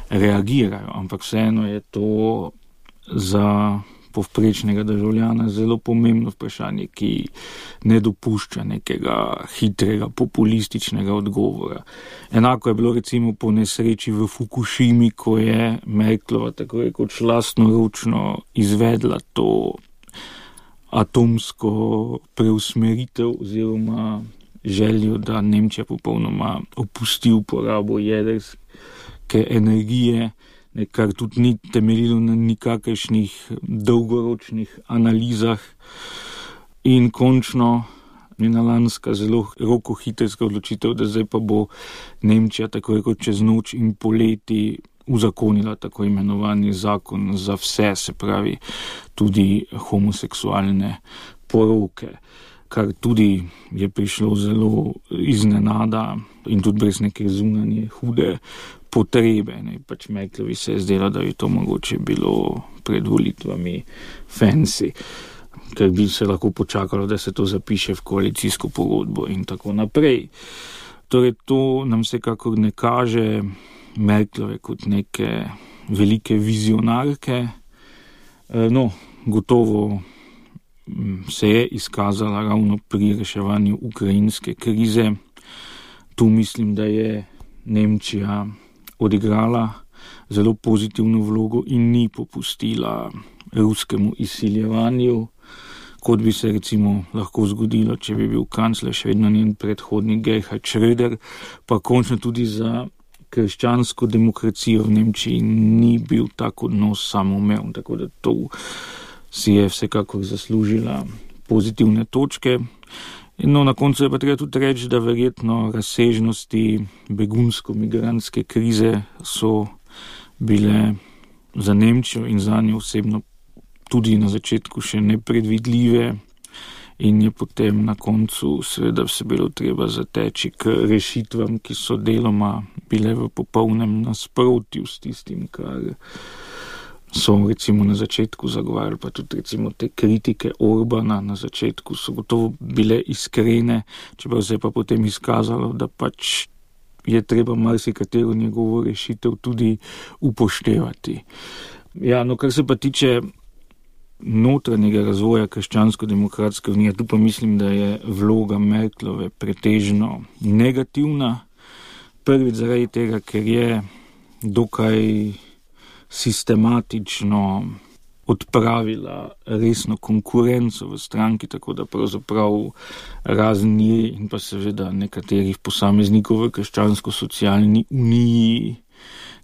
reagirajo, ampak vseeno je to za povprečnega državljana zelo pomembno vprašanje, ki ne dopušča nekega hitrega, populističnega odgovora. Enako je bilo recimo po nesreči v Fukušimi, ko je Merklova tako rekoč lastnoročno izvedla to atomsko preusmeritev oziroma željo, da Nemčija popolnoma opusti uporabo jedrske energije, kar tudi ni temeljilo na nikakršnih dolgoročnih analizah. In končno njena lanska zelo rokohitrska odločitev, da zdaj pa bo Nemčija tako rekoč čez noč in poleti uzakonila tako imenovani zakon za vse, se pravi tudi homoseksualne poroke, kar tudi je prišlo zelo iznenada in tudi brez neke zunanje hude potrebe. Pač Merklovi se je zdelo, da bi to mogoče bilo pred volitvami fancy, ker bi se lahko počakalo, da se to zapiše v koalicijsko pogodbo in tako naprej. Torej to nam vsekakor ne kaže Merklove kot neke velike vizionarke. No, gotovo se je izkazala ravno pri reševanju ukrajinske krize. Tu mislim, da je Nemčija odigrala zelo pozitivno vlogo in ni popustila ruskemu izsiljevanju. kot bi se recimo lahko zgodilo, če bi bil kancler še vedno njen predhodnik Gerhard Schröder, pa končno tudi za krščansko demokracijo v Nemčiji ni bil tak odnos samoumeven, tako da to si je vsekakor zaslužila pozitivne točke. No, na koncu je pa treba tudi reči, da verjetno razsežnosti begunsko-migrantske krize so bile za Nemčijo in za njo osebno tudi na začetku še nepredvidljive in je potem na koncu seveda se bilo treba zateči k rešitvam, ki so deloma bile v popolnem nasprotju s tistim, kar so recimo na začetku zagovarjali, pa tudi recimo te kritike Orbana na začetku so gotovo bile iskrene, čeprav se je pa potem izkazalo, da pač je treba marsikatero njegovo rešitev tudi upoštevati. Ja, no, kar se pa tiče notranjega razvoja krščansko-demokratske unije, tu pa mislim, da je vloga Merklove pretežno negativna. Prvič zaradi tega, ker je dokaj sistematično odpravila resno konkurenco v stranki, tako da pravzaprav razen nje in pa seveda nekaterih posameznikov v krščansko-socialni uniji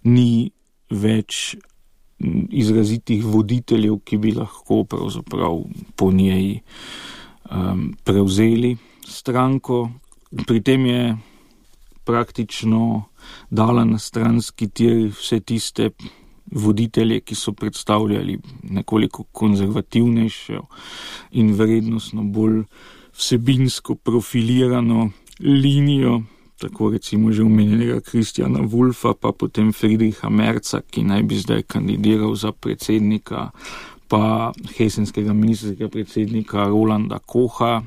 ni več izrazitih voditeljev, ki bi lahko pravzaprav po njej prevzeli stranko. Pri tem je praktično dala na stranski tir vse tiste voditelje, ki so predstavljali nekoliko konzervativnejšo in vrednostno bolj vsebinsko profilirano linijo, tako recimo že omenjenega Christiana Wulfa, pa potem Friedricha Merza, ki naj bi zdaj kandidiral za predsednika, pa hesenskega ministrskega predsednika Rolanda Kocha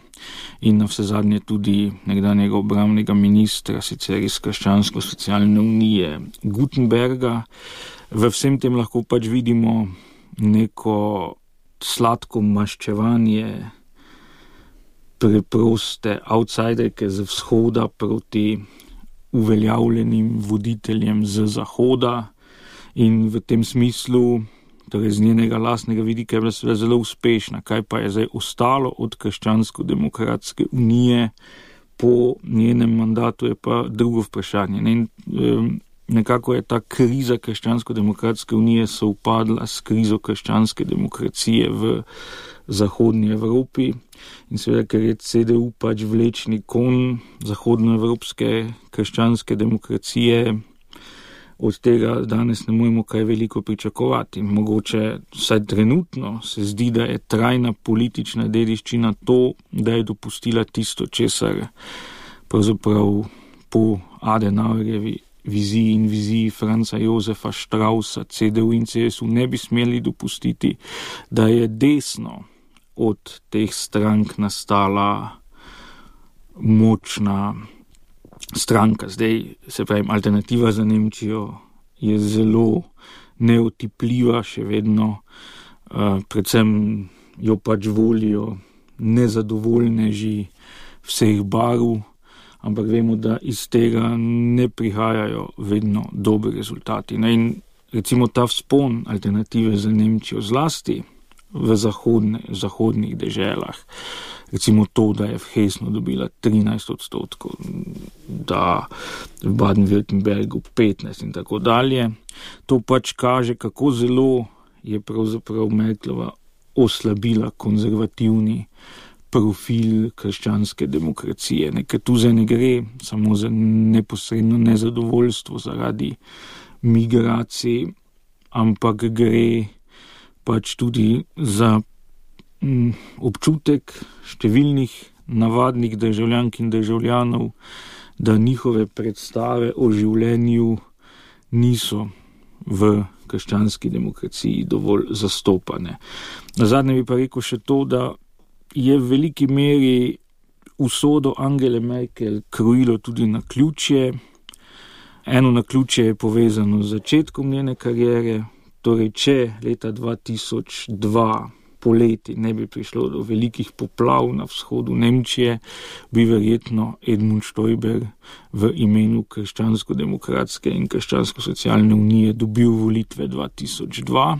in na vsezadnje tudi nekdanjega obrambnega ministra, sicer iz krščansko-socialne unije Gutenberga. V vsem tem lahko pač vidimo neko sladko maščevanje preproste outsiderke z vzhoda proti uveljavljenim voditeljem z zahoda in v tem smislu, torej z njenega lastnega vidika, je bila seveda zelo uspešna. Kaj pa je zdaj ostalo od krščansko-demokratske unije po njenem mandatu, je pa drugo vprašanje. Nekako je ta kriza krščansko-demokratske unije sovpadla s krizo krščanske demokracije v zahodni Evropi in seveda, ker je CDU pač vlečni konj zahodnoevropske krščanske demokracije, od tega danes ne moremo kaj veliko pričakovati. Mogoče vsaj trenutno se zdi, da je trajna politična dediščina to, da je dopustila tisto, česar pravzaprav po Adenauerjevi viziji in viziji Franza Josefa Straussa, CDU in CSU ne bi smeli dopustiti, da je desno od teh strank nastala močna stranka. Zdaj, se pravi, Alternativa za Nemčijo je zelo neotipljiva še vedno, predvsem jo pač volijo nezadovoljneži vseh barv, ampak vemo, da iz tega ne prihajajo vedno dobri rezultati. In recimo ta vzpon Alternative za Nemčijo zlasti v zahodnih deželah, recimo to, da je v Hesnu dobila 13%, da v Baden-Württembergu 15% in tako dalje, to pač kaže, kako zelo je pravzaprav Merklova oslabila konzervativni profil krščanske demokracije. Ker tu zdaj ne gre samo za neposredno nezadovoljstvo zaradi migracij, ampak gre pač tudi za občutek številnih navadnih državljank in državljanov, da njihove predstave o življenju niso v krščanski demokraciji dovolj zastopane. Nazadnje bi pa rekel še to, da je v veliki meri usodo Angele Merkel krojilo tudi naključje. Eno naključje je povezano z začetkom njene kariere, torej če leta 2002 poleti ne bi prišlo do velikih poplav na vzhodu Nemčije, bi verjetno Edmund Stoiber v imenu krščansko-demokratske in krščansko-socialne unije dobil volitve 2002.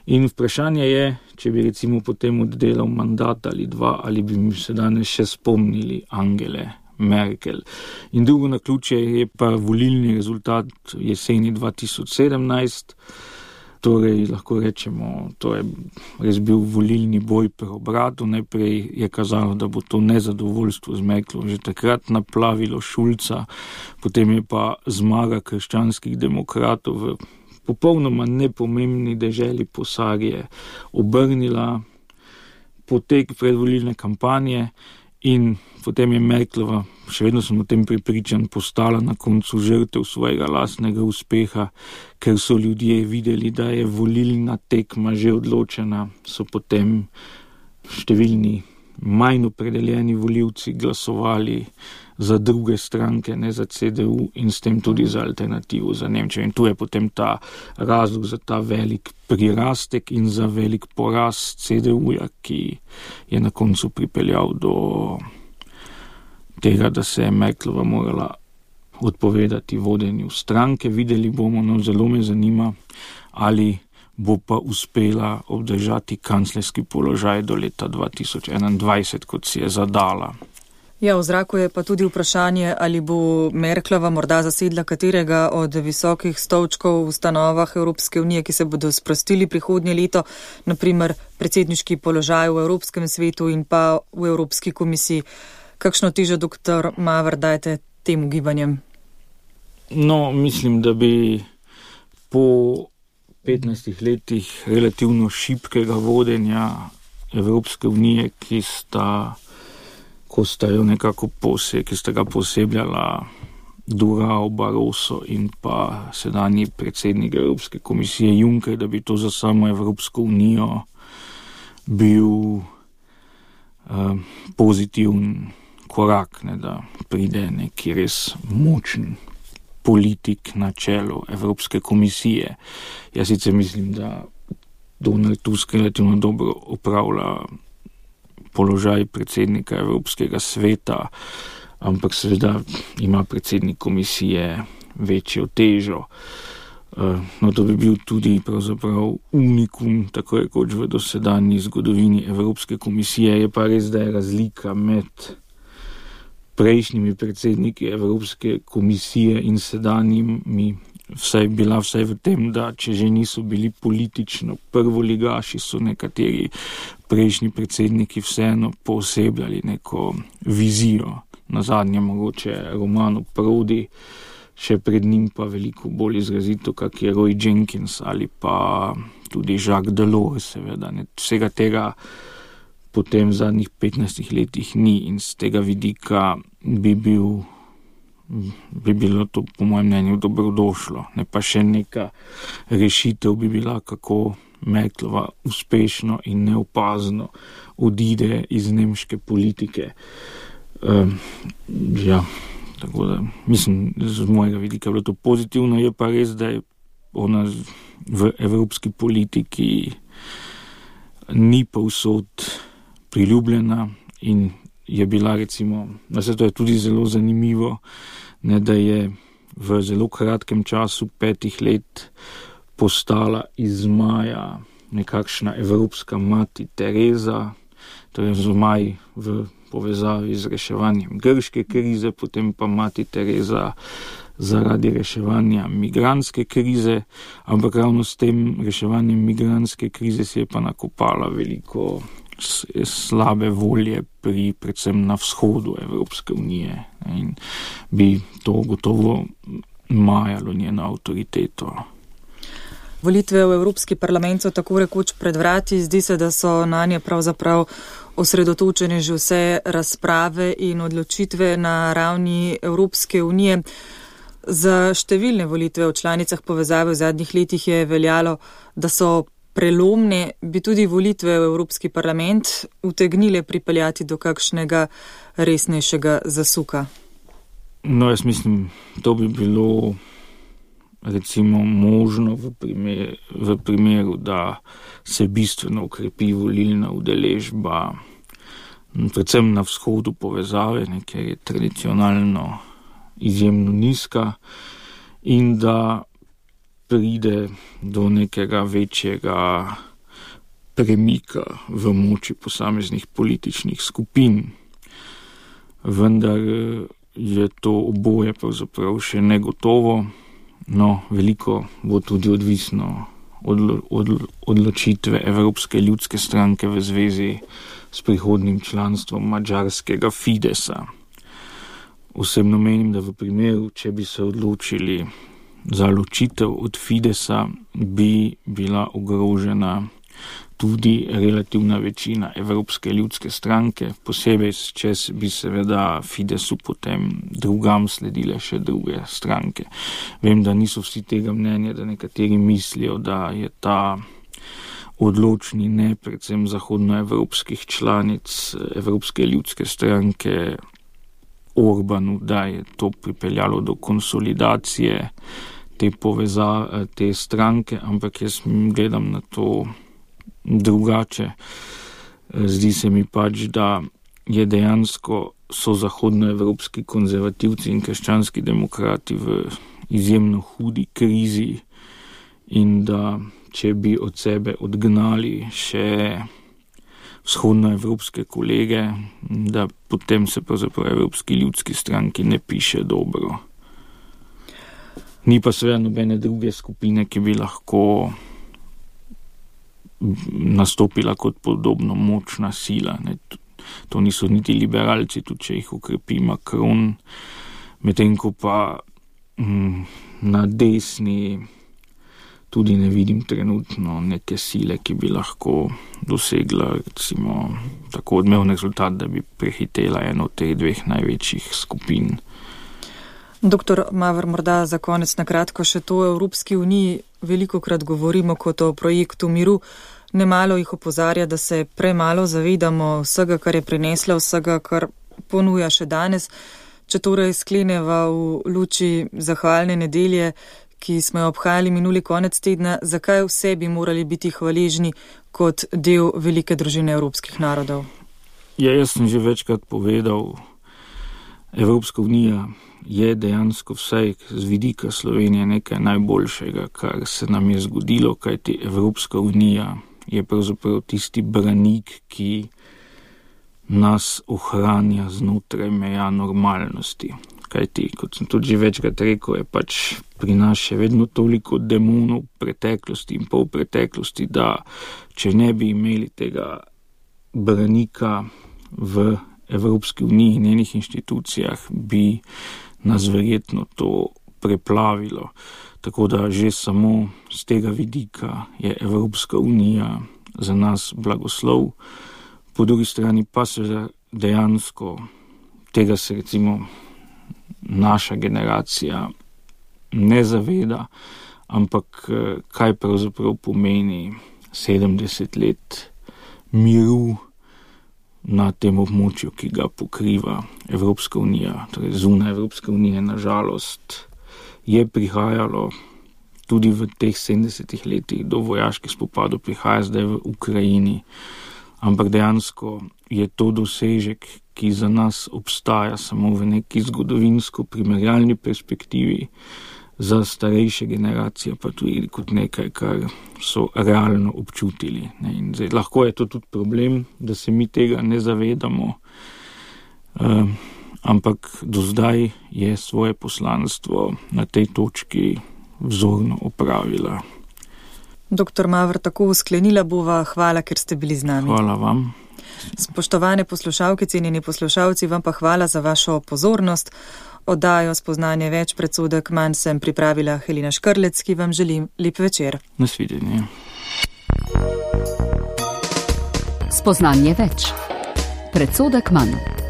In vprašanje je, če bi recimo potem oddelal mandat ali dva, ali bi mi se danes še spomnili Angele Merkel. In drugo naključje je pa volilni rezultat jeseni 2017, torej lahko rečemo, to je res bil volilni boj preobratu. Najprej je kazalo, da bo to nezadovoljstvo z Merklom že takrat naplavilo Šulca, potem je pa zmaga krščanskih demokratov v popolnoma nepomembni deželi Posarje obrnila potek predvolilne kampanje in potem je Merklova, še vedno sem o tem prepričan, postala na koncu žrtev svojega lastnega uspeha, ker so ljudje videli, da je volilna tekma že odločena, so potem številni manj opredeljeni volivci glasovali za druge stranke, ne za CDU in s tem tudi za alternativo za Nemčijo. In tu je potem ta razlog za ta velik prirastek in za velik poraz CDU-ja, ki je na koncu pripeljal do tega, da se je Merklova morala odpovedati vodenju stranke. Videli bomo, no, zelo me zanima, ali bo pa uspela obdržati kanclerski položaj do leta 2021, kot si je zadala. Ja, v zraku je pa tudi vprašanje, ali bo Merklova morda zasedla katerega od visokih stolčkov v ustanovah Evropske unije, ki se bodo sprostili prihodnje leto, naprimer predsedniški položaj v Evropskem svetu in pa v Evropski komisiji. Kakšno težo, dr. Maver, dajete tem ugibanjem? No, mislim, da bi po 15 letih relativno šibkega vodenja Evropske unije, ki sta ga posebljala Durao, Barroso in pa sedanji predsednik Evropske komisije Juncker, da bi to za samo Evropsko unijo bil pozitiven korak, ne, da pride neki res močen politik na čelu Evropske komisije. Jaz sicer mislim, da Donald Tusk relativno dobro upravlja položaj predsednika Evropskega sveta, ampak seveda ima predsednik komisije večjo težo. No, to bi bil tudi pravzaprav unikum, tako rekoč v dosedanji zgodovini Evropske komisije. Je pa res, da je razlika med prejšnjimi predsedniki Evropske komisije in sedanjimi bila vsaj v tem, da če že niso bili politično prvoligaši, so nekateri prejšnji predsedniki vseeno poosebljali neko vizijo. Nazadnje mogoče Romano Prodi, še pred njim pa veliko bolj izrazito, kak je Roy Jenkins ali pa tudi Jacques Delors, seveda. Vsega tega potem v zadnjih 15 letih ni in z tega vidika bi bilo to po mojem mnenju dobrodošlo. Ne pa še neka rešitev bi bila, kako Merklova uspešno in neopazno odide iz nemške politike. Tako da mislim, z mojega vidika bilo to pozitivno. Je pa res, da je ona v evropski politiki ni povsod priljubljena in je bila recimo, da se to je tudi zelo zanimivo, ne, da je v zelo kratkem času 5 let postala iz Maja nekakšna evropska mati Tereza, torej Zmaj v povezavi z reševanjem grške krize, potem pa mati Tereza zaradi reševanja migrantske krize, ampak ravno s tem reševanjem migrantske krize si je pa nakopala veliko slabe volje predvsem na vzhodu Evropske unije in bi to gotovo majalo njeno avtoriteto. Volitve v Evropski parlament so tako rekoč pred vrati, zdi se, da so na nje pravzaprav osredotočene že vse razprave in odločitve na ravni Evropske unije. Za številne volitve v članicah povezave v zadnjih letih je veljalo, da so prelomne, bi tudi volitve v Evropski parlament utegnile pripeljati do kakšnega resnejšega zasuka. No, jaz mislim, to bi bilo recimo možno v primeru, da se bistveno ukrepi volilna udeležba, predvsem na vzhodu povezave, ker je tradicionalno izjemno nizka, in da pride do nekega večjega premika v moči posameznih političnih skupin. Vendar je to oboje pravzaprav še negotovo, no, veliko bo tudi odvisno od odločitve Evropske ljudske stranke v zvezi s prihodnim članstvom madžarskega Fidesa. Osebno menim, da v primeru, če bi se odločili za ločitev od Fidesa, bi bila ogrožena tudi relativna večina Evropske ljudske stranke, posebej, če bi seveda Fidesu potem drugam sledile še druge stranke. Vem, da niso vsi tega mnenja, da nekateri mislijo, da je ta odločni ne predvsem zahodnoevropskih članic Evropske ljudske stranke Orbanu, da je to pripeljalo do konsolidacije te stranke, ampak jaz gledam na to drugače. Zdi se mi pač, da je dejansko so zahodnoevropski konzervativci in krščanski demokrati v izjemno hudi krizi in da če bi od sebe odgnali še vzhodnoevropske kolege, da potem se pravzaprav Evropski ljudski stranki ne piše dobro. Ni pa seveda nobene druge skupine, ki bi lahko nastopila kot podobno močna sila. Ne. To niso niti liberalci, tudi če jih ukrepi Macron, medtem ko pa na desni tudi ne vidim trenutno neke sile, ki bi lahko dosegla recimo tako odmeven rezultat, da bi prehitela eno od teh dveh največjih skupin. Doktor Maver, morda za konec na kratko še to. V Evropski uniji velikokrat govorimo kot o projektu miru. Nemalo jih opozarja, da se premalo zavedamo vsega, kar je prinesla, vsega, kar ponuja še danes. Če torej skleneva v luči zahvalne nedelje, ki smo jo obhajali minuli konec tedna, zakaj vse bi morali biti hvaležni kot del velike družine evropskih narodov? Ja, jaz sem že večkrat povedal, Evropska unija je dejansko vsaj z vidika Slovenije nekaj najboljšega, kar se nam je zgodilo, kajti Evropska unija je pravzaprav tisti branik, ki nas ohranja znotraj meja normalnosti. Kajti, kot sem tudi že večkrat rekel, je pač pri nas še vedno toliko demonov preteklosti in polpreteklosti, da če ne bi imeli tega branika v Evropski uniji in njenih inštitucijah, bi nas verjetno to preplavilo. Tako da že samo z tega vidika je Evropska unija za nas blagoslov. Po drugi strani pa se dejansko tega se recimo naša generacija ne zaveda, ampak kaj pravzaprav pomeni 70 let miru na tem območju, ki ga pokriva Evropska unija, torej zunaj Evropske unije, nažalost, je prihajalo tudi v teh 70 letih do vojaških spopadov, prihaja zdaj v Ukrajini, ampak dejansko je to dosežek, ki za nas obstaja samo v neki zgodovinsko primerjalni perspektivi, za starejše generacije pa tudi kot nekaj, kar so realno občutili. In zdaj, lahko je to tudi problem, da se mi tega ne zavedamo, ampak do zdaj je svoje poslanstvo na tej točki vzorno opravila. Doktor Maver, tako sklenila bova. Hvala, ker ste bili z nami. Hvala vam. Spoštovane poslušalke, cenjeni poslušalci, vam pa hvala za vašo pozornost. Oddajo Spoznanje več, predsodek manj sem pripravila Helena Škrlec, ki vam želim lep večer. Nasvidenje. Spoznanje več, predsodek manj.